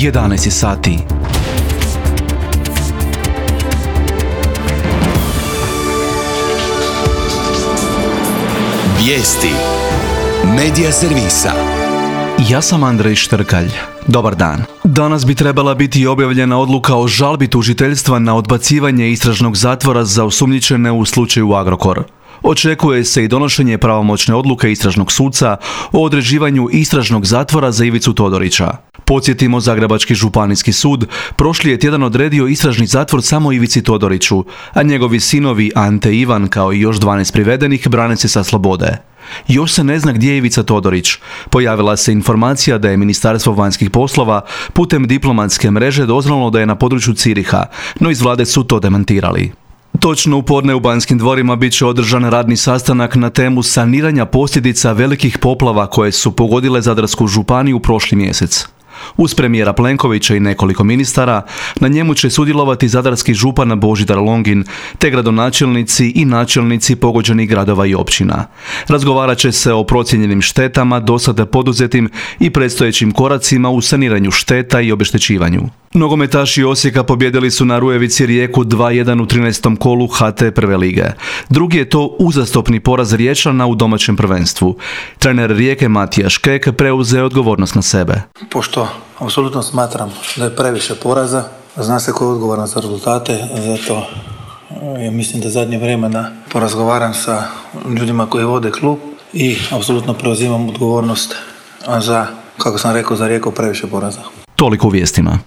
11 sati. Vijesti Medija servisa. Ja sam Andrej Štrkalj. Dobar dan. Danas bi trebala biti objavljena odluka o žalbi tužiteljstva na odbacivanje istražnog zatvora za osumnjičene u slučaju Agrokor. Očekuje se i donošenje pravomoćne odluke istražnog suca o određivanju istražnog zatvora za Ivicu Todorića. Podsjetimo, Zagrebački županijski sud prošli je tjedan odredio istražni zatvor samo Ivici Todoriću, a njegovi sinovi Ante i Ivan, kao i još 12 privedenih, brane se sa slobode. Još se ne zna gdje je Ivica Todorić. Pojavila se informacija da je Ministarstvo vanjskih poslova putem diplomatske mreže doznalo da je na području Ciriha, no iz vlade su to demantirali. Točno u podne u Banskim dvorima bit će održan radni sastanak na temu saniranja posljedica velikih poplava koje su pogodile Zadarsku županiju prošli mjesec. Uz premijera Plenkovića i nekoliko ministara, na njemu će sudjelovati zadarski župan Božidar Longin, te gradonačelnici i načelnici pogođenih gradova i općina. Razgovarat će se o procijenjenim štetama, dosada poduzetim i predstojećim koracima u saniranju šteta i obeštećivanju. Nogometaši Osijeka pobjedili su na Rujevici Rijeku 2:1 u 13. kolu HT prve lige. Drugi je to uzastopni poraz Riječana u domaćem prvenstvu. Trener Rijeke Matija Škek preuzeo odgovornost na sebe. Pošto apsolutno smatram da je previše poraza, zna se ko je odgovoran za rezultate, zato ja mislim da zadnje vremena porazgovaram sa ljudima koji vode klub i apsolutno preuzimam odgovornost za, kako sam rekao, za Rijeku previše poraza. Toliko u vijestima.